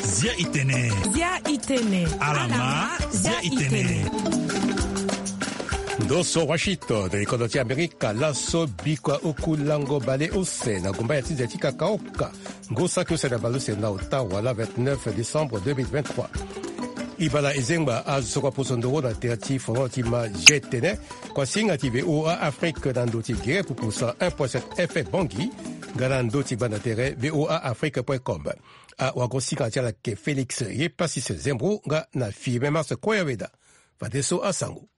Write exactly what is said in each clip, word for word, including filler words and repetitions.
Zia itene. Zia itene. Alama, zia itene. Ndo so Washington, de likodo ti Amerika, laso bikua oku lango bale use na gumba ya ti nze ti kakaoka. Ngu saki use na bale use na ota wala vingt-neuf décembre deux mille vingt-trois. Ibala ezengba azo kua poso ndoro na tere ti fono ti ma je tene. Kuasinga ti V O A Afrique na ndo ti gere pupu cent un point sept F M Bangui, nga na ndo ti gbanda tere V O A Afrique point com. Awagosinga ti ala ke Félix Yepasis Zembro nga na Firmin Mars Koyaweda. Fadeso asango.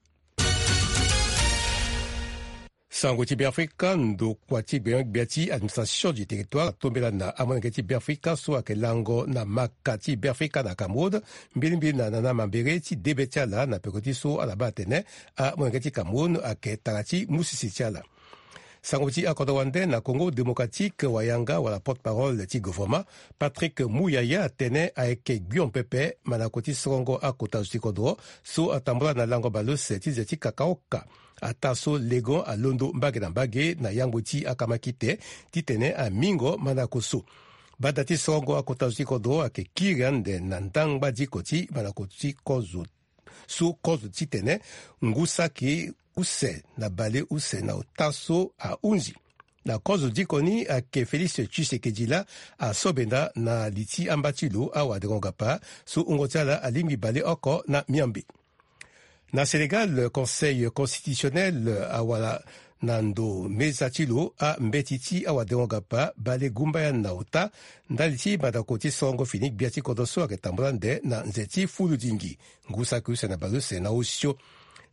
Sango ti Beafrika, ndokua ti gbengbia ti administration du territoire atombela na amolenge ti Beafrika so ayeke lango na maka ti Beafrika na Cameroun, mbilimbili na nana mambere ti debe ti ala na peko ti so ala baa atene amolenge ti Cameroun ayeke tara ti musisi ti ala. Sango ti akodro wande na Congo démocratique, wayanga wala porte-parole ti gouvernement, Patrick Muyaya, atene ayeke gbion pepe mandako ti sorongo akota zo ti kodro so atambula na lango bale use ti nze ti kakaoka. Ataa so legon alondo mbage na mbage na yangbo ti akamakite titene amingo mandako so. Bada ti sorongo akota zo ti kodro ayeke kiri ande na ndangba diko ti mandako ti kozo so kozo titene ngu saki use na bale use na ota so ahunzi. Na kozo diko ni ayeke Félix Tshisekedi laa asobenda na li ti amba ti lo awadengo-gapa so wungo ti ala alingbi bale oko na miambe. Na Sénégal, Conseil constitutionnel awara na ndo meza ti lo ambeti ti awadengo-gapa bale gumbaya na ota ndali ti mandako ti sorongo fini gbia ti kodro so ayeke tambula ande na nze ti fuludingi. Ngu saki use na bale use na osio.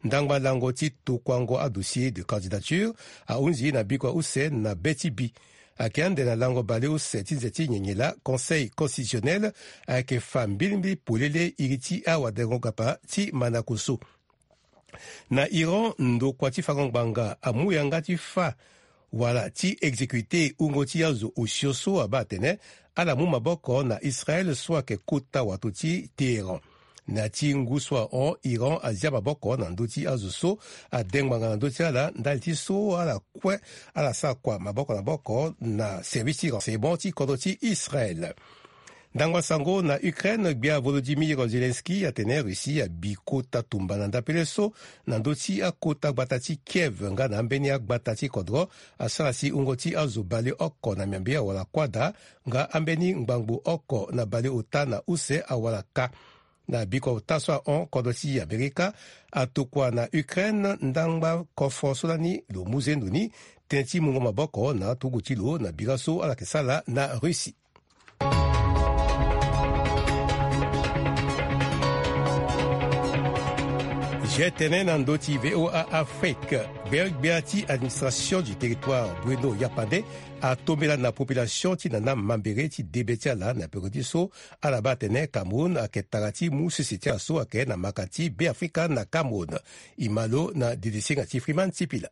Ndangba lango ti tokuango adossier de candidature ahunzi na bikua use na be ti bi. Ayeke ande na lango bale use ti nze ti nyenye laa Conseil constitutionnel ayeke fa mbilimbili polele iri ti awadengo-gapa ti mandako so. Na Iran, ndokua ti fango ngbanga amu yanga ti fa wala ti exécuter wungo ti azo osio so abaa atene ala mu maboko na Israël so ayeke kota wato ti Téhéran. Na ya ti ngu so ahon, Iran azia maboko na ndö ti azo so ade ngbanga na ndö ti ala ndali ti so ala kue ala sara kua maboko na maboko na service ti renseignement ti kodro ti Israël. Ndangba sango na Ukraine, gbia Volodymyr Zelensky atene Russie abi kota tumba na ndapele so na ndö ti akota gbata ti Kiev nga na ambeni agbata ti kodro asara si wungo ti azo baleoko na miambe awara kuâ daa nga ambeni ngbangbo oko na baleota na use awara kâ. Na bikua ota so ahon, kodro ti Amerika atokua na Ukraine ndangba kofo so lani lo mu zendo ni tënë ti mungo maboko na aturugu ti lo na bira so ala yeke sara na Russie. G T N na ndö ti V O A Afrique. Gbeogbia ti administration du territoire Bruno Yapande atombela na population ti nana mambere ti debe ti ala na peko ti so ala baa atene Cameroun ayeke tara ti mu sese ti ala so ayeke na maka ti Beafrika na Cameroun. E ma lo na dedesenga ti Freeman Sipila.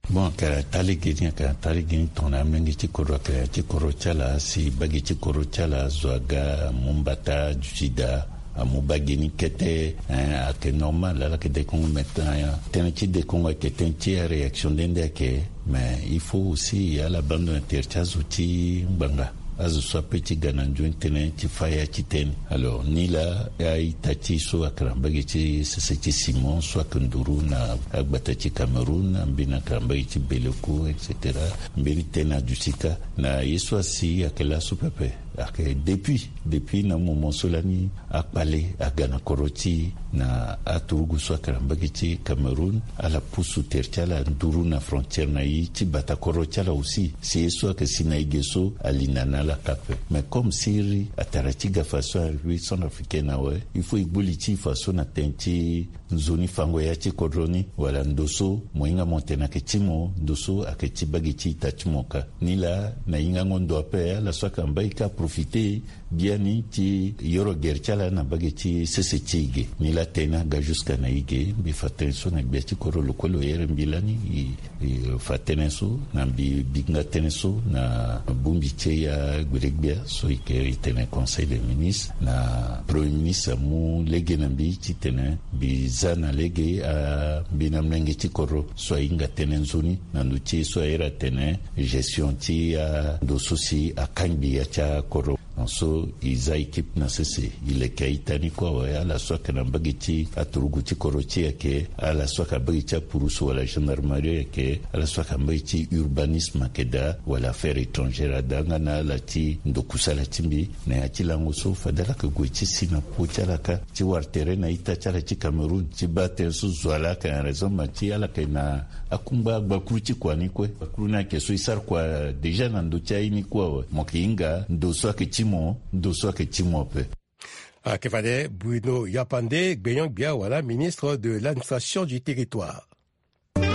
Bon, ayeke na taa lege ni, ayeke na taa lege ni tongana amolenge ti kodro ayeke na ya ti kodro ti ala, si bage ti kodro ti ala azo aga amu mbata aduti daa, amu bage ni kete, hein, ayeke normal, ala yeke dekongo. Maintenant, tënë ti dekongo ayeke tënë ti aréaction nde nde ayeke. Mais il faut aussi ala baa ndo na tere ti azo ti ngbanga, azo so ape ti ga na nzoni tënë ti fâ ya ti tënë. Alors ni laa a-ita ti e so ayeke na mbage ti sese ti Simon so ayeke nduru na agbata ti Cameroun, ambeni ayeke na mbage ti Beleku, et cetera. Mbeni tënë aduti kâ na ye so asi ayeke laso pepe. Ayeke depuis, depuis na moment so lani akpale aga na kodro ti e na aturugu so ayeke na mbage ti Cameroun, ala pusu tere ti ala nduru na frontière na e ti bata kodro ti ala aussi. Si ye so ayeke si na e ge so alinda na ala kâ ape. Mais comme siriri atara ti ga façon arrivé centrafricaine awe, il faut e gbu li ti e façon na tënë ti nzoni fango ya ti kodro ni, wala ndo so mo hinga mo tene ayeke ti mo, ndo so ayeke ti bage ti ita ti mo kâ. Ni laa na hingango ndo ape, ala so ayeke na mbage kâ profite biani ti yoro gere ti ala na mbage ti sese ti e ge. Nilaa tënë aga jusqu'à na e ge. Mbi fa tënë so na gbia ti kodro lo kue lo here mbi lani. E, e fa tënë so na mbi bi nga tënë so na bongbi ti e agbele-gbia so e ke e tene Conseil des ministres, na Premier ministre amu lege na mbi titene mbi za na lege, a, mbi na molenge ti kodro so ahinga tënë nzoni na ndö ti e so ahere atene gestion ti, a, ndo so si akangbi ya ti akodro. Na so e za équipe na sese, e leke a-ita ni kue awe, ala so ayeke na mbage ti aturugu ti kodro ti e ayeke, ala so ayeke na mbage ti apurusu wala gendarmerie ayeke, ala so ayeke na mbage ti urbanisme ayeke daa, wala affaires étrangères adaa, nga na ala ti ndokusala ti mbi na ya ti lango so fade ala yeke gue ti si na popo ti ala kâ, ti wara tere na a-ita ti ala ti Cameroun, ti baa tënë so zo ala ayeke na raisonnement ti ala ayeke na akungba gbakuru ti kua ni kue. Gbakuru ni ayeke so e sara kua déjà na ndö ti aye ni kue awe. Mo yeke hinga ndo so ayeke ti mo, ndo so ayeke ti mo ape. Ayeke fade Bruno Yapande, gbenyo-gbia wala ministre de l'administration du territoire. E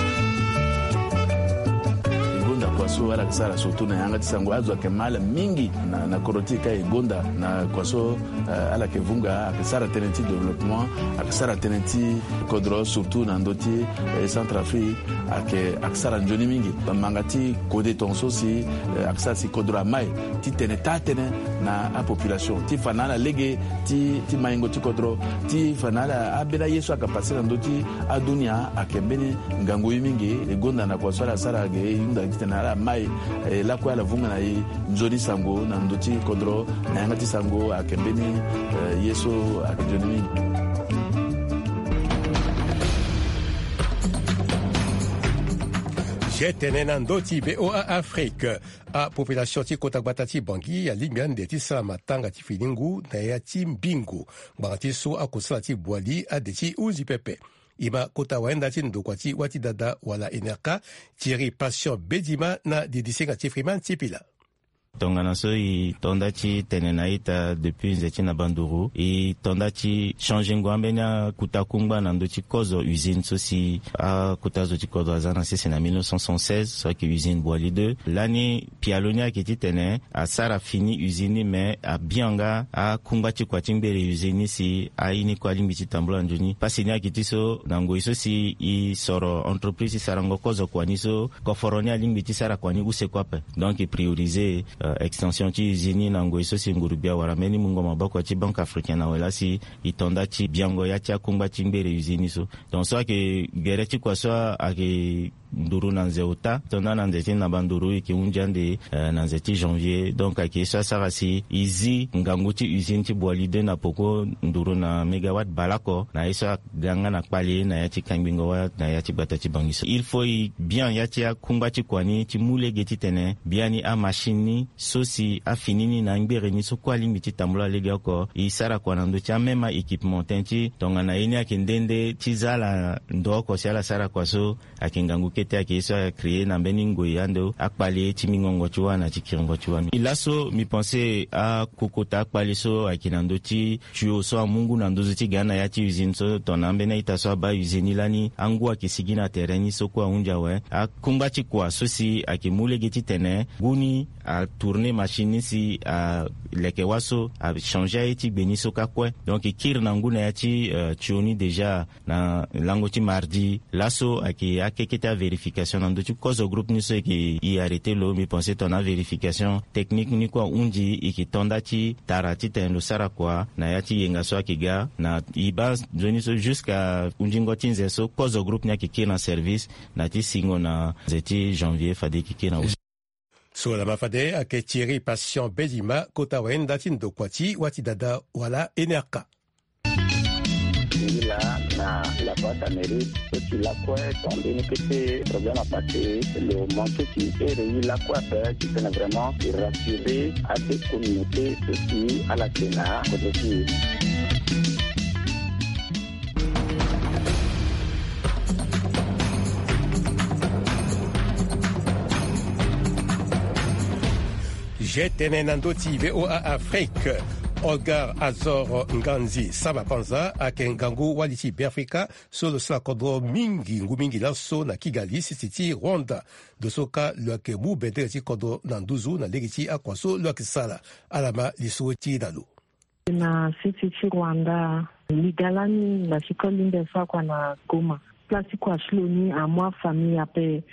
gonda kua so ala yeke sara surtout na yanga ti sango. Azo ayeke ma ala mingi na, na kodro ti e ka e gonda na kua so, eh, ala yeke vunga, ayeke sara tënë ti développement, ayeke sara tënë ti kodro surtout na ndö ti, eh, Centrafrique, ayeke, ayeke sara nzoni mingi. Manga ti kode tongaso si, eh, ayeke sara si kodro amai titene taa tënë na apopulation ti fa na ala lege ti, ti maingo ti kodro, ti fa na ala, ambeni aye so ayeke pase na ndö ti adunia ayeke mbeni ngangu ye mingi. E gonda na kua so ala sara ge, e hunda titene ala mai, eh, lakue ala vunga na e nzoni sango na ndö ti kodro, na yanga ti sango ayeke mbeni, eh, ye so ayeke nzoni mingi. Ge tene na ndö ti V O A Afrique. Apopulation ti kota gbata ti Bangui alingbi ande ti sara matanga ti fini ngu na ya ti mbingo, ngbanga ti so akusala ti Boali ade ti hunzi pepe. E ma kota wayenda ti ndokua ti wâ ti dada wala N R K, Thierry Patient Bedima na didisenga ti Freeman Sipila. Tongana so e to nda ti tene na ita depuis nze ti na banduru, e to nda ti changengo ambeni akuta kungba na ndö ti kozo usine so si akuta zo ti kodro aza na sese na mille neuf cent soixante-seize, so ayeke usine Boali deux. Lani pialo ni ayeke titene asara fini usine ni, me abianga akungba ti kua ti ngbere usine ni si aye ni kue alingbi ti tambula nzoni. Pasi ni ayeke ti so na ngoi so si e soro entreprise ti sarango kozo kua ni so, koforo ni alingbi ti sara kua ni use kue ape. Donc e prioriser, euh, extension ti usine ni na ngoi so si nguru-gbia wara mbeni mungo maboko ti Banque africaine awe laa si e to nda ti biango ya ti akungba ti ngbere usine ni so. Donc so ayeke gere ti kua so ayeke nduru na nze ota, to nda na nze ti na banduru e yeke hunzi ande, eh, na nze ti janvier. Donc ayeke ye so asara si e zi ngangu ti usine ti Boali deux na poko nduru na mégawatt baleoko, na ye so aga nga na kpale na ya ti kangbingo wâ na ya ti gbata ti Bangui so. Il faut e bian ya ti akungba ti kua ni ti mu lege titene biani amachine ni so si afini ni na angbere ni so kue alingbi ti tambula legeoko, e sara kua na ndö ti amême a-équipement, tënë ti tongana ye ni ayeke nde nde ti za ala ndo oko si ala sara kua so, ayeke ngangu kete, ayeke ye so acréer na mbeni ngoi ande akpale ti mingongo ti wâ na ti kiringo ti wâ. Laso mbi pense akokota akpale so ayeke na ndö ti tuyau so amu ngu na nduzu ti ga na ya ti usine so, tongana ambeni a-ita so abaa usine ni lani, angu ayeke sigi na tere ni so kue ahunzi awe. Akungba ti kua so si ayeke mu lege titene ngu ni atourner machine ni si aleke wâ so, achanger aye ti gbe ni so kâ kue. Donc e kiri na ngu na ya ti, euh, tuyau ni déjà na lango ti mardi. Laso ayeke akekete avérification na ndö ti kozo groupe ni so e yeke e arrêter lo. Mbi pense tongana avérification technique ni kue ahunzi, e yeke to nda ti tara titene lo sara kua na ya ti yenga so ayeke ga. Na e baa nzoni so jusqu'à hunzingo ti nze so kozo groupe ni ayeke kiri na service na ti singo na nze ti janvier fade e yeke kiri na. So lama fade ayeke Thierry Patient Bedima, kota wayenda ti ndokua ti wâ ti dada wala N R K. Ngi laa na la voie d'Amérique, so ti lakue ton mbeni kete problème apase, lo manqué ti here ye lakue ape titene vraiment e rassurer ade communauté so si ala yeke na kodro ti e. Ge tene na ndö ti V O A Afrique. Olga Azor Nganzi Samba Panza ayeke ngangu wali ti Beafrika so lo sara kodro mingi ngu mingi laso na Kigali, sese ti Rwanda. Ndo so kâ lo yeke mu bendere ti kodro na nduzu na lege ti akua so lo yeke sara. Ala ma lisoro ti e na lo. Na sese ti Rwanda, li ga lani na sikoli mbi sara kua na Goma. Place ti kua ti lo ni amu afamille ape.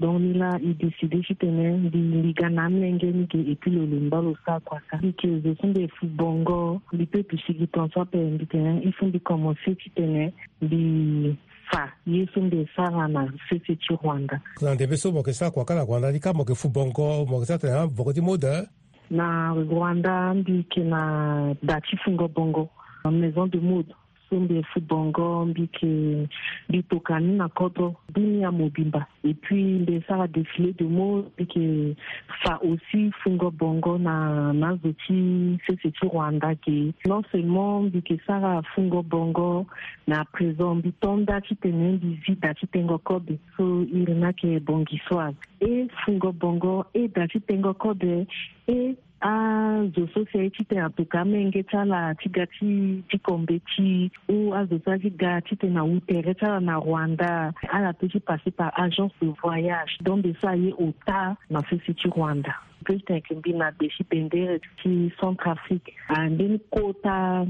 Donc ni laa e décide titene mbi, mbi ga na amolenge ni ge, et puis lo lemba lo sara kua ka. Mbi yeke zo so mbi yeke fu bongo, mbi peut duti gi tongaso ape, mbi tene il faut mbi commencer titene mbi fa ye so mbi yeke sara na sese ti Rwanda. Na ndembe so mo yeke sara kua ka na Rwanda ni kâ, mo yeke fu bongo, mo yeke sara tene na boko ti mode? Na Rwanda mbi yeke na da ti fungo bongo, maison de mode. So mbi yeke fu bongo, mbi yeke, mbi toka ni na kodro dunia mobimba. Et puis mbi yeke sara défilé de mode, mbi yeke fa aussi fungo bongo na, na azo ti sese ti Rwanda ge. Non seulement mbi yeke sara fungo bongo, mais à présent mbi to nda titene mbi zi da ti tengo kobe. So iri ni ayeke Bongisoise. E fungo bongo, e da ti tengo kobe, e azo so si aye titene atoka amenge ti ala ti ga ti, ti ko mbeti, ou azo so aye ti ga titene awu tere ti ala na Rwanda, ala peut ti passer par agence de voyage. Donc mbi so aye ota na sese ti Rwanda. Mbi peut titene mbi na be ti bendere ti Centrafrique. Ah, mbeni kota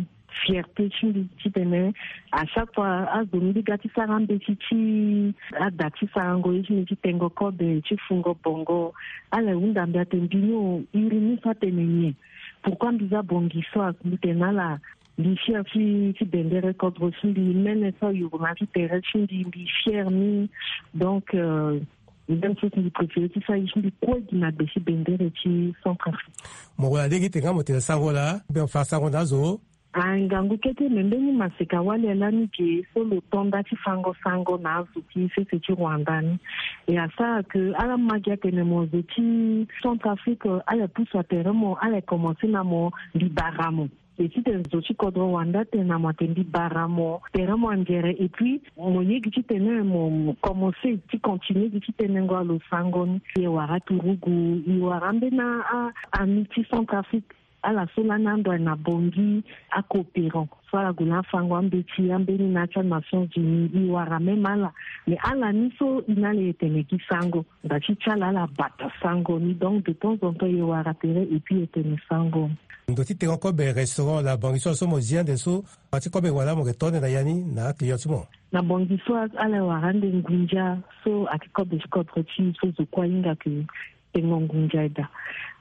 fierté ti mbi titene à chaque fois azo mbi ga ti sara mbeti ti ada ti sarango ye ti mbi ti tengo kobe ti fungo bongo, ala hunda mbi atene mbi ni o, iri ni so atene nyen? Pourquoi mbi za Bongisoise? Mbi tene na ala mbi fier ti, ti bendere kodro ti mbi, mene so ayuru na ti tere ti mbi, mbi fier ni. Donc euh, même chose mbi préféré ti sara ye ti mbi kue gi na be ti bendere ti Centrafrique. Mo wara lege ti tene nga mo tene sango laa, be mo fa sango na azo. Ah, ngangu kete, me mbeni maseka wali lani ge so lo to nda ti fango sango na azo ti sese ti Rwanda ni. E asara ke ala ma gi atene mo zo ti Centrafrique, ala pusu atere mo, ala commencer na mo, mbi bara mo. E titene zo ti kodro Rwanda atene na mo atene mbi bara mo, tere mo angere, et puis mo ye gi titene mo, mo commencer ti continuer gi ti tenengo alo sango ni. E wara turugu, e wara ambeni a, a, ami ti Centrafrique. Ala so lani ando aye na Bangui, acoopérant so ala gue na afango ambeti, ambeni na ya ti aNations Unies, e wara même ala. Mais ala ni so e na ala e tene gi sango, nda ti ti ala ala bata sango ni. Donc de temps en temps e wara tere et puis e tene sango. Ndo ti tengo kobe restaurant la Bongisoise so mo zi ande so, a ti kobe wala mo yeke to ande na ya ni na aclient ti mo? Na Bongisoise ala e wara ande ngunza so ayeke kobe ti kodro ti e so zo kue ahinga ke tengo ngunza daa.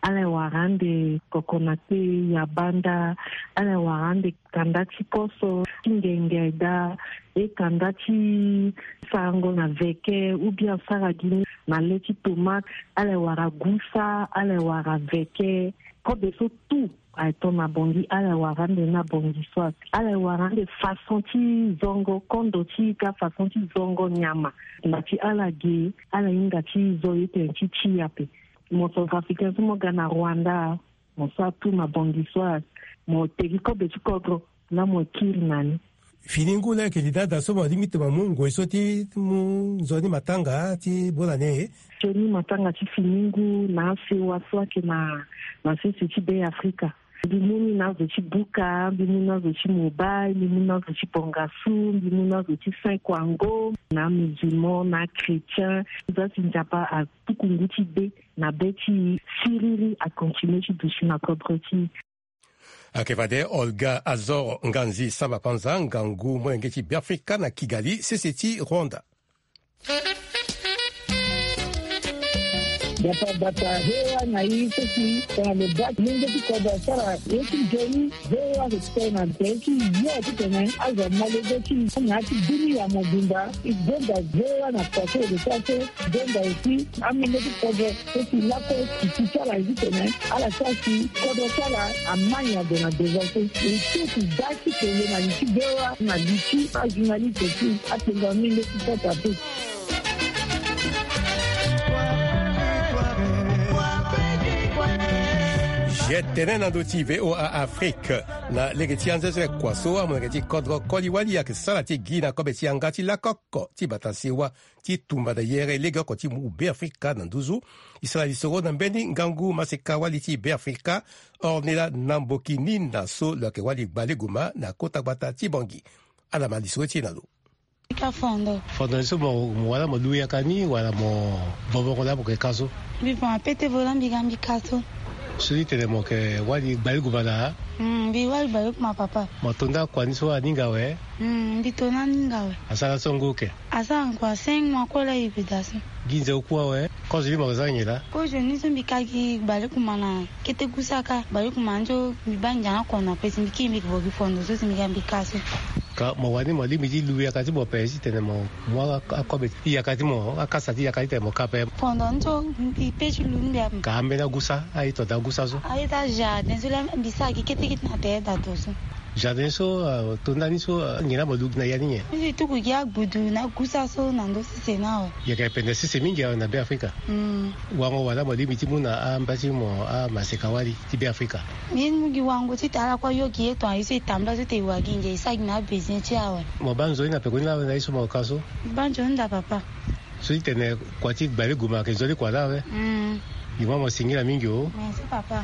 Ala e wara ande kokonate, yabanda, ala e wara ande kanda ti koso, ti ngenge daa, e kanda ti sarango na veke, ou bien sara gi ni na le ti tomate, ala e wara gusa, ala e wara veke, kobe so tout. Aye to na Bangui, ala e wara ande na Bongisoise. Ala e wara ande façon ti zongo, kondo ti e ka, façon ti zongo nyama. Nda ti ala ge, ala hinga ti zo ye tene ti ti ape. Mo Centrafricain so mo ga na Rwanda, mo sara tout na Bongisoise, mo tegi kobe ti kodro, la mo kiri na ni. Fini ngu laa ayeke li daa daa so mo lingbi ti mo mu ngoi so ti mu nzoni matanga ti bonane. Nzoni matanga ti fini ngu na asewa so ayeke na, na sese ti Be Afrika. Mbi mu ni na azo ti Buka, mbi mu na azo ti Mobay, mbi mu na azo ti Bangassou, mbi mu na azo ti Saint Kwango, na amusulman, na achrétien. Za si Nzapa atuku ngu ti be na be ti e, siriri akontinue ti duti na kodro ti e. Ayeke fade Olga Azor Nganzi Samba Panza, ngangu molenge ti Beafrika na Kigali, sese ti Rwanda. Bata bata V O A na e so si tongana lo baa molenge ti kodro asara ye ti nzoni, V O A ayeke tene na nze ti yo titene azo amolenge ti e na ya ti dunia mobimba. E gonda V O A na kua so e yeke sara so, e gonda aussi amolenge ti kodro so si lakue siki ti ala ye titene ala sara si kodro ti ala ama nyen ague na devant so. E so si da ti tene na li ti V O A na li ti ajournaliste ti akpengba mingi ti kota pe. Zi tene na ndö ti V O A Afrique. Na lege ti anzezele kua so amolenge ti kodro koli-wali ayeke sara ti gi na kobe ti yanga ti lako oko ti bata sewa ti tumba na yere legeoko ti mu Beafrika na nduzu. E sara lisoro na mbeni ngangu maseka-wali ti Beafrika, Ornella Nambokinina, so lo yeke wali gbaleguma na kota gbata ti Bangui. Ala ma lisoro ti e na lo. Ka fondo. Fondo ni so mo, mo wala mo lu yaka ni wala mo vovongo laa mo yeke ka so? Mbi voma pete vo laa mbi ga mbi ka so. So ti tene mo yeke wali gbaleguma na? Mm, mbi wali gbaleguma, papa. Mo to nda kua ni so aninga awe? Mm, mbi to na aninga awe. Asara so ngu oke? Asara ngu a cinq mois kue laa e bi daa so. Gi nze oku awe? Kozo ni mo yeke za nyen laa? Kozo ni so mbi ka gi gbaleguma na kete gu saka, gbaleguma ni so mbi baa ndia na kono ape si mbi kiri mbi yeke vo gi fondo so si mbi ga mbi ka so. Ka mo wani mo lingbi ti lu yaka ti mo ape ti tene mo mu a, akobe ti yaka ti mo, akasa ti yaka ti tene mo ka ape? Fondo ni so mbi pe ti lu mbi ape. Ka ambeni agusa, a-ita daa agusa so? A-ita jardin so laa mbi sara gi kete kete na tere dato so. Jardin so, ah, to ndani so, ah, nyen laa mo lu gi na ya ni nyen? Mbi tuku gi agbudu na agusa so na ndö sese ni awe. Yeke pende sese mingi awe na Beafrika. Mm. Wango wala mo lingbi ti mu na amba ti mo amaseka-wali ti Beafrika? Mbi mu gi wango ti tara kue ayo gi ye tonga ye so e tambula so tene e wa gi ngia e sara gi na abesoin ti e awe. Mo baa nzoni na pekoni laa awe na ye so mo ka so? Mbi baa nzoni daa, papa. So ti tene kua ti gbaleguma ayeke nzoni kua laa awe? Mm. Mbi mu mo singila mingi o. Merci, papa.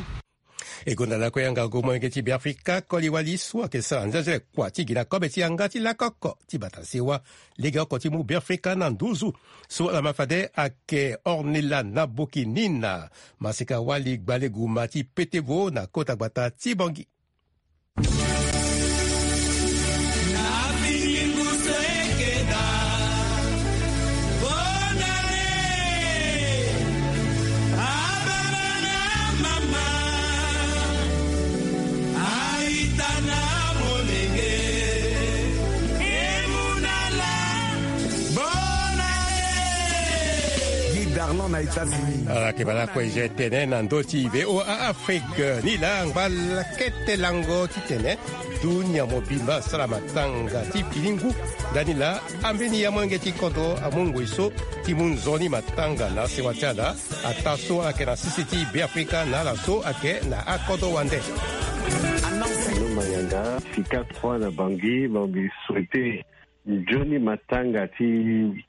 E gonda lakue yanga gu molenge ti Beafrika koli-wali so ayeke sara nzenzele kua ti gi na kobe ti yanga ti lako oko ti bata sewa legeoko ti mu Beafrika na nduzu. So ala ma fade ayeke Ornella Nambokinina, maseka-wali gbaleguma ti pete vo na kota gbata ti Bangui. Guy Darlan na États-Unis. Ala yeke baa lakue, e tene na ndö ti V O A Afrique ni laa angba lakete lango ti tene dunia mobimba asara matanga ti fini ngu. Ndani laa ambeni ya molenge ti kodro amu ngoi so ti mu nzoni matanga na sewa ti ala, ataa so ayeke na sese ti Beafrika na ala so ayeke na akodro wande. Anonce. Mayanga, Sika trois na Bangui, mo mbi souhaiter nzoni matanga ti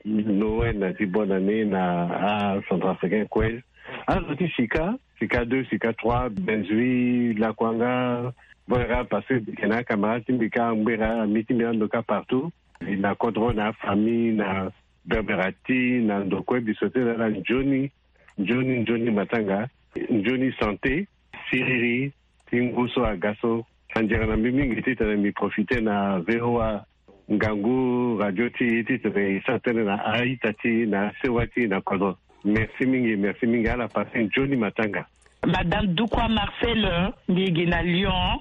Noël na ti bonne année na aCentrafricain kue. Azo ti Sika, Sika deux, Sika trois, Benzui, Lakuanga, Bouera, parce que mbi yeke na acamarade ti mbi kâ, Ngbera, ami ti mbi ando kâ partout. Na kodro, na afamille, na Berberatie, na ndo kue, mbi souhaiter na ala nzoni, nzoni, nzoni matanga, nzoni santé, siriri, ti ngu so aga so. Anzere na mbi mingi titene mbi profiter na V O A ngangu radio ti e titene e sara tënë na a-ita ti e, na asewa ti e na kodro. Merci mingi, merci mingi. Ala passe nzoni matanga. Madame Dukwa Marcel, mbi gi na Lyon.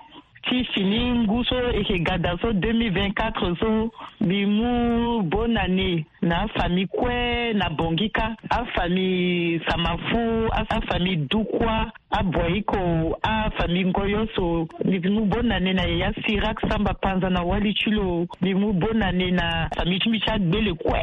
Ti fini ngu so e yeke ga daa so, deux mille vingt-quatre so, mbi mu bonne année na afamille kue na Bangui kâ, afamille Samafu, a, afamille Dukwa, Aboiko, afamille Ngoyo so. Mbi mu bonne année na yaya Sirak Samba Panza na wali ti lo. Mbi mu bonne année na famille ti mbi ti Agbele kue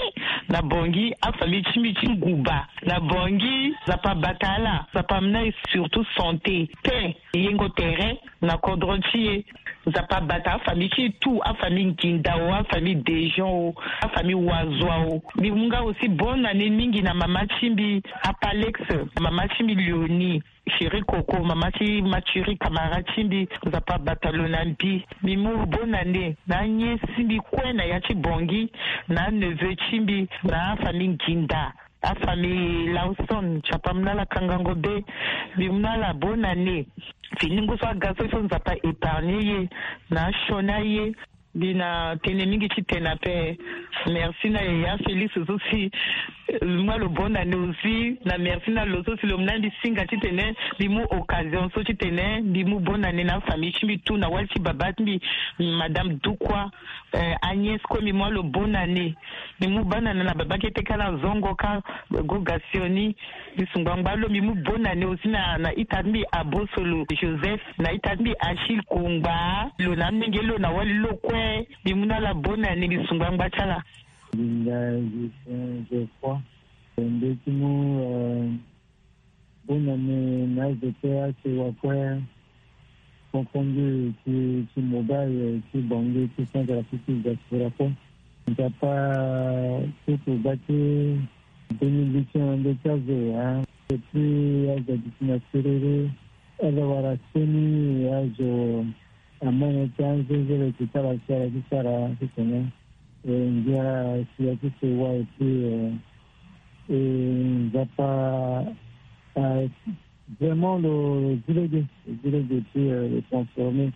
na Bangui, afamille ti mbi ti Nguba na Bangui. Nzapa abata ala, Nzapa amena e surtout santé, paix, yengo tere na kodro ti e. Nzapa abata afamille ti e tout, afamille Nginda o, afamille Dejean o, afamille Wazua o. Mbi mu nga aussi bonne année mingi na mama ti mbi Apalex, mama ti mbi Léonie, Chérie Coco, mama ti Mathurin, camarade ti mbi. Nzapa abata lo na mbi. Mbi mu bonne année na aniece ti mbi kue na ya ti Bangui, na aneveu ti mbi, na afamille Nginda, afamille Lawson, Nzapa amena ala kangango be. Mbi mu na ala bonne année. Fini ngu so aga so, so Nzapa épargner ye na asioni aye. Mbi na tënë mingi ti tene ape. Merci na yaya Félix so si, eh, mbi mu na lo bonne année aussi. Na merci na lo so si lo mu na mbi singa titene mbi mu occasion so titene mbi mu bonne année na afamille ti mbi tout, na wali ti baba ti mbi, Madame Dukwa, eh, Agnès kue. Mbi mu na lo bonne année. Mbi mu bonne année na baba kete kâ na zongo kâ, Goga Sioni. Mbi sungba ngba lo. Mbi mu bonne année aussi na, na ita ti mbi Abosolo Joseph, na ita ti mbi Achille Kongba, lo na amolenge lo na wali lo kue. Mbi mu na ala bonne année, mbi sungba ngba ti ala. Linda Justin Geoffroy, mbi ti mu, euh, bonne année na azo kue, asewa kue. Confondu ti ti mobile ti bangi ti centre afrique ti diaspora kue. Nzapa ti kuba ti deux mille dix ti na nde ti azo hein. Epui azo adi ti na serere ala wara seni azo amene ti anzenzele ti sara sara ti sara ti tene. Ngia si ya ti sewa epui nzapa. Vraiment lo zi lege lo zi lege ti le transformer.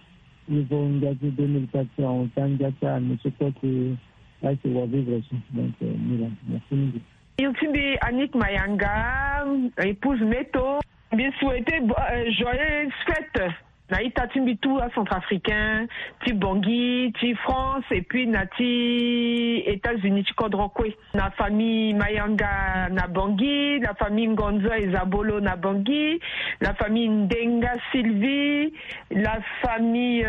Niveau ngia ti deux mille quatre ti ahon ti angia ti ami ti kue ti ake wa vivre so. Donc mila merci mingi. Iri ti mbi Annick Mayanga, épouse Meto. Mbi souhaite joyeuse fête na ita ti mbi tout acentrafricain ti Bangui, ti France et puis na ti États-Unis ti kodro kue. Na famille Mayanga na Bangui, la famille Ngonzo et Zabolo na Bangui, la famille Ndenga Sylvie, la famille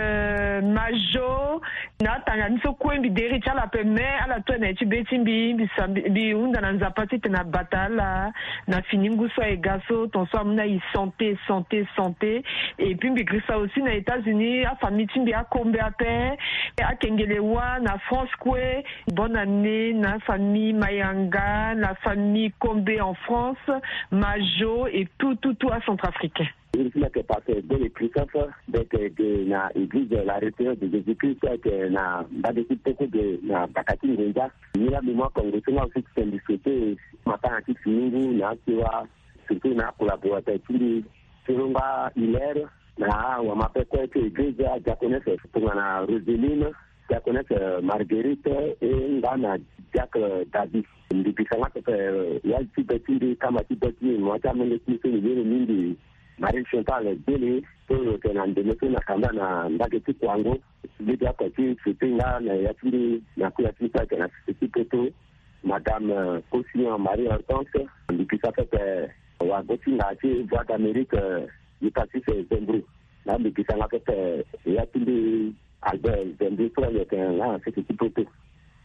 Majo. Na atanga ni so kue mbi deri ti ala ape me ala tue na ye ti be ti mbi mbi hunda na Nzapa titene abata ala na fini ngu so aye ga so ton so amu na e santé santé santé. Et puis mbi girisa aussi na États-Unis afamille ti mbi akombe ape akengele wa na France kue. Bonne année na famille Mayanga, na famille Kombe en France, Majo et tout tout tout acentrafricain. Iri ti mbi ayeke pasteur Bele Christophe. Mbi yeke ge na église la référence de Jésus Christ ayeke na mbage ti poko ge na baka ti ngonza. Ni la mémoire kongo so nga aussi ti tene mbi souhaite matanga ti fini ngu na asewa surtout na acollaborateur ti mbi ti Longa Hilaire, na awama ape kue ti église adiaconesse tongana Roseline, diaconesse Marguerite, e nga na diacre David. Mbi bisa nga pepe ya ti be ti mbi kama ti be ti mbi mo ya ti amolenge ti mbi so mbi ye lo mingi Marie Chantal Dele so lo yeke na ndeme so na kanda na mbage ti Kouango. Mbi ga oko ti souhaite nga na ya ti mbi na kula ti mbi so ayeke na sese ti poto, madame Cosillon Marie Hortense. Mbi bisa pepe wago ti ngara ti Voix d'Amérique, Eucatis Zembrou. Na mbi bisa nga pepe ya ti mbi Albert Zembrou so ayeke nga na sese ti poto.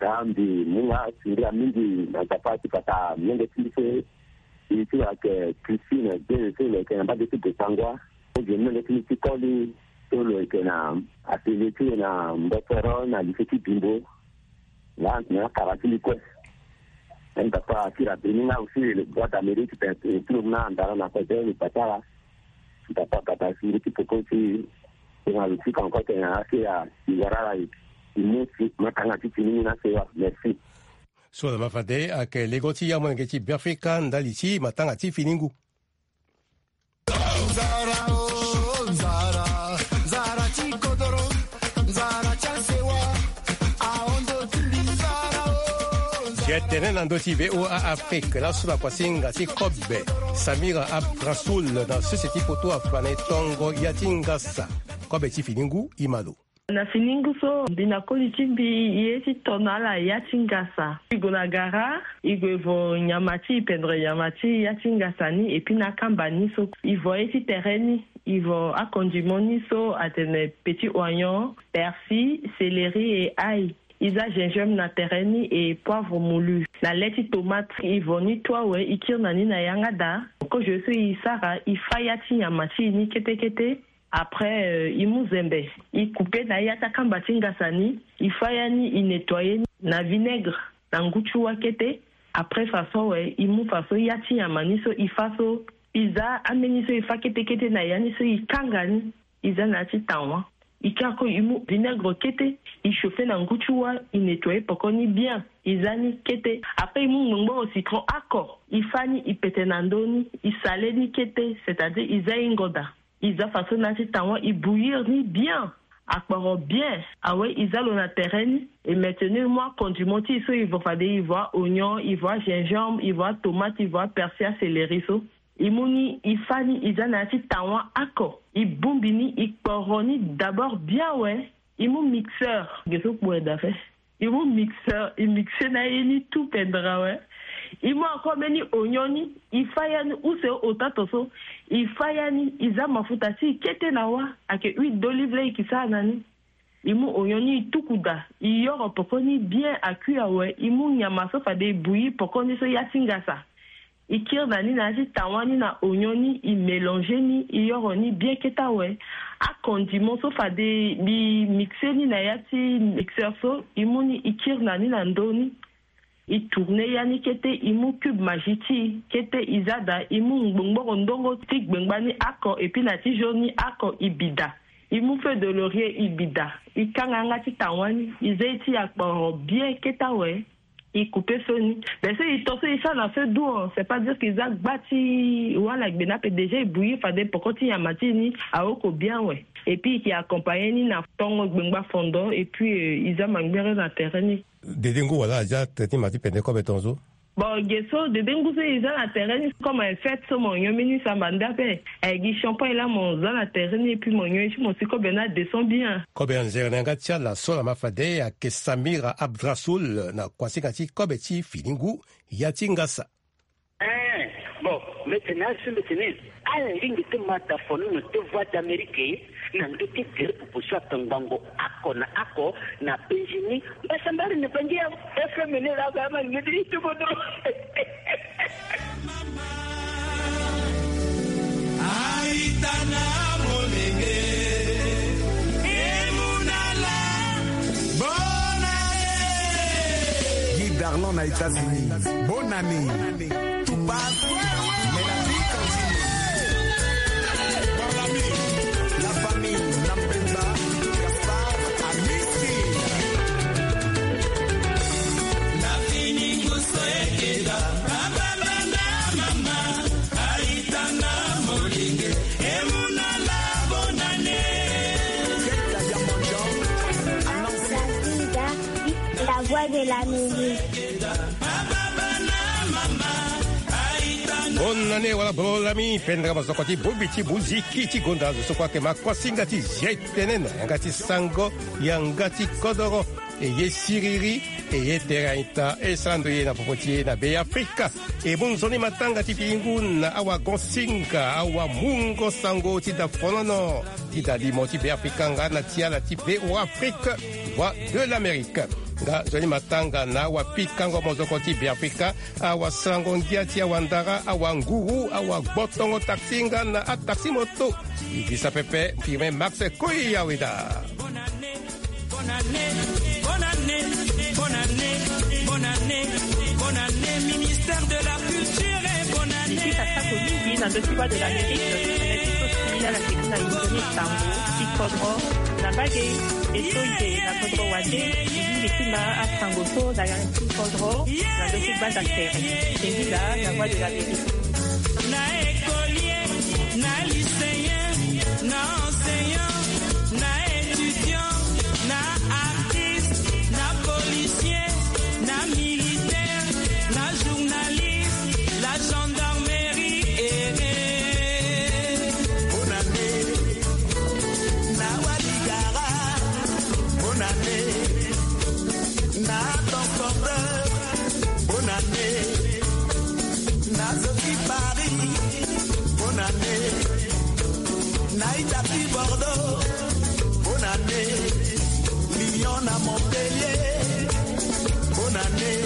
Na mbi mu nga singira mingi na Nzapa ti pata molenge ti mbi so e ti lo ayeke Christine Dele so lo yeke na mbage ti Bossangoa. Mbi molenge ti mbi ti koli so lo yeke na atelier ti lo na Mbossoro na lycée ti Bimbo. Nga na akara ti mbi kue. Nzapa akiri abeni nga aussi le Voix d'Amérique ti lo mu na andara na kodoro ni patara. Nzapa abata si mbi ti poko ti tongana lo fika encore tene na akiri asi wara ala e. E mu si matanga ti fini ni na sewa. Merci. So na ma fade ayeke lego ti amolenge ti Beafrika ndali ti matanga ti fini ngu. Ye tene na ndö ti V O A Afrique laso na kuasinga ti kobe Samira Abrasoul na sese ti poto afane tongo ya ti ngasa. Kobe ti fini ngu e ma lo. Na fini ngu so mbi na koli ti mbi ye ti tono ala ya ti ngasa. E gue na gara, e gue e vo nyama ti e pendere nyama ti e ya ti ngasa ni, epui na akamba ni so e vo ye ti tere ni, e vo akondimo ni so atene petit oignon, persil, céleri et ail. E za gingembre na tere ni et poivre moulu. Na le ti tomate e vo ni toi awe, e kiri na ni na yanga daa. Kozo so e sara, e fa ya ti nyama ti e ni kete kete. Après e mu zembe, e coupe na ya ti akamba ti ngasa ni, e fa ya ni, e nettoyer ni na vinaigre na ngu ti wa kete. Après façon awe, e mu façon ya ti nyama ni so e fa so, e za ambeni so e fa kete kete na ya ni so e kanga ni, e za na ya ti tawa. E kiri ako e mu vinaigre kete, e chauffer na ngu ti wa, e nettoyer poko ni bien, e za ni kete. Après e mu ngbongboro citron oko, e fa ni, e pete na ndö ni, e saler ni kete, c'est-à-dire e za e ngoda. E za façon na ya ti tawa, e bouillir ni bien, akporo bien. Awe e za lo na tere ni. E maintenir mu akondimo ti e so e vo fade e vo a-oignon, e vo a-gingembre, e vo atomate, e vo apersil, acéleri so. E mu ni, e fa ni, e za na ya ti tawa oko, e bongbi ni, e kporo ni d'abord bien awe. E mu mixeur, ge so kpo aye daa fe. E mu mixeur, e mixer na ye ni tout pendere awe. E mu encore mbeni oignon ni, e fa ya ni use ota to so. E fa ya ni, e za mafuta ti e kete na wa, ayeke huile d'olive laa e yeke sara na ni. E mu oignon ni, e tuku daa, e yoro poko ni bien, a cuit awe. E mu nyama so fade e bouillir poko ni so ya ti ngasa. I kiri na ni na ya ti tawa ni na ognon ni, i mélanger ni, i yoro ni bien kete awe. Akondiment so fade i mixer ni na ya ti mixeur so, i mu ni i kiri na ni na ndö ni. I tourner ya ni kete, i mu cube Maggi ti i kete, i za daa, i mu ngbongboro ndongo ti gbengba ni oko, et puis na ti jaune ni oko, i bi daa. I mu feuille de laurier, i bi daa. I kanga yanga ti tawa ni, i zia ti akporo bien kete awe. I couper feu ni. Mais si i to so i sara na feu doux, c'est pas dire que i za gba ti wala gbe ni ape, déjà i bouillir, fade poko ti nyama ti i ni aoko bien awe. Et puis i ke accompagner ni na tongo gbengba fondo, et puis, euh, i za mangbere na tere ni. Dede ngu wala aza tere ti ma ti pende kobe tongaso? Bon, ge so dede ngu so i za na tere ni, comme en fête so mo yonbi ni samba nda ape. Ayeke gi champagne laa mo za na tere ni, et puis mo yonbi ti mo si kobe ni adescend bien. Kobe anzere na yanga ti ala so laa ma fade ayeke Samira Abdrasoul na kuasinga ti kobe ti fini ngu, ya ti ngasa. Eh, bon, mbeti na azo so mbeti ni. Ala lingbi ti ma dafonono ti Voix d'Amérique na ndö ti gere popo so atongbango oko na oko na penzi ni. Mbasambari ni bangi ya F M ni laa, ga ma ngedi ti bodo. Aitana molenge, emunala, bonane. Guy Darlon na États-Unis. Bonne année. Tout passe, mais la vie continue. Mon ami, la famille Nampemba, Gaspard, Amici. Na fini nguso ekeda, papa, bana, mama, aitana molenge, emunala, bonane. Keta ya monjo, annoncé. La voix de l'Amérique. Bonne année, wala bro lami, pendra mozoko ti bobi ti buziki ti gonda zo so kue ayeke ma kuasinga ti zia e tene na yanga ti sango, yanga ti kodoro. E ye siriri, e ye tere aita, e sara ndo ye na popo ti e na Be Afrika. E mu nzoni matanga ti fini ngu na awagonsinga, awamungo sango ti dafonono ti dalimo ti Be Afrika nga na ti ala ti V O Afrique, Voix de l'Amérique. Nga nzoni matanga na awapikango mozoko ti Be Afrika, awasarango ngia ti awandara, awanguru, awagbotongo taxi nga na ataxi moto. Ibisa pepe, firme Max Koyaweda. Bonne année, bonne année, bonne année, bonne année, bonne année, ministère de la culture et bonne année. Ndiki kasako mingi na ndö ti Voix de l'Amérique, tene ti so si ala ke ti na inzoni sango ti kodro na mbage. E so e yeke na kodro wande, e lingbi ti ma asango so na yanga ti kodro na ndö ti gbanda tere. Tengila na Voix de l'Amérique. Na écolier, na lycéen, na enseignant, na étudiant, na artiste, na policier, na militaire, na journaliste, la gendarmerie, eh, eh. Bonne année, na waligara. Bonne année, na transporteur. Bonne année, na zo ti Paris. Bonne année, na ita ti Bordeaux. Bonne année, Lyon na Montpellier. Bonne année.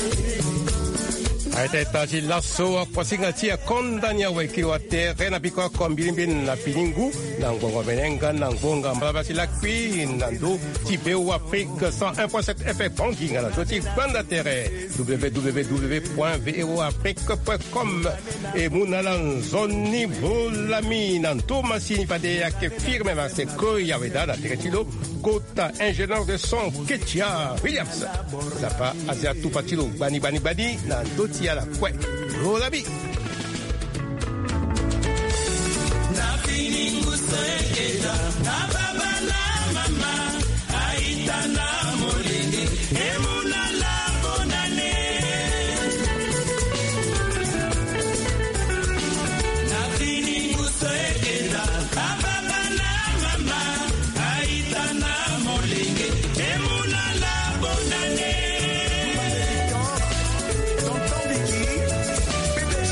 Aita ita ti laso, akuasinga ti akonda ni awe kiri wa tere na biko oko mbilimbili na fini ngu, na ngbongo mene nga na ngbonga mbalabala ti lakui na ndö ti V O Afrique cent un point sept F M Bangui nga na ndö ti gbanda tere W W W point V O Afrique point com. E mu na ala nzoni bro lami na ndo masini fade ayeke firme na se Koyaweda na tere ti lo. Kota ingénieur de son Ketia Williams. Nzapa azia tufa ti lo gbani gbani gbani na ndö ti ala kue. Bro lami. Na fini nguso ekeda, na baba na mama, aita na molenge, e mu na ala bonne année. Na fini nguso ekeda, na baba na mama, aita na molenge, e mu na ala bonne année. Tonton Vicky, P D G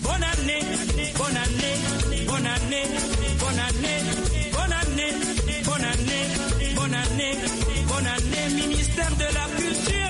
Bonne année, bonne année, bonne année, bonne année, bonne année, bonne année, bonne année, bonne année, ministère de la culture.